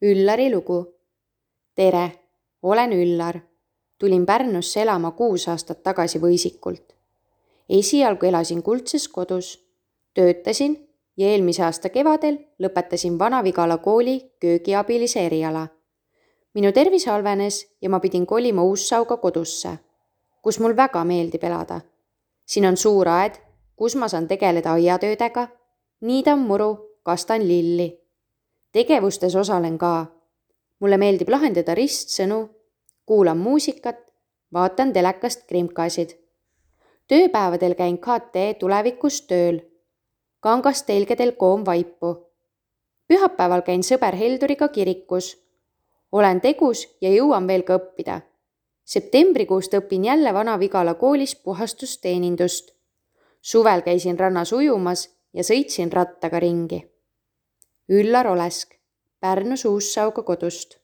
Üllari lugu. Tere, olen Üllar. Tulin Pärnusse elama 6 aastat tagasi Võisikult. Esialgu elasin Kuldses kodus, töötasin ja eelmise aasta kevadel lõpetasin Vana-Vigala kooli köögiabilise eriala. Minu tervis halvenes ja ma pidin kolima Uussauga kodusse, kus mul väga meeldib elada. Siin on suur aed, kus ma saan tegeleda aiatöödega, niidan muru, kastan lilli. Tegevustes osalen ka. Mulle meeldib lahendada ristsõnu, kuulan muusikat, vaatan telekast krimkasid. Tööpäevadel käin KT tulevikus tööl. Kangast telgedel koom vaipu. Pühapäeval käin sõber Helduriga kirikus. Olen tegus ja jõuan veel ka õppida. Septembrikuust õpin jälle Vana-Vigala koolis puhastusteenindust. Suvel käisin rannas ujumas ja sõitsin rattaga ringi. Üllar Olesk, Pärnus Uussauga kodust.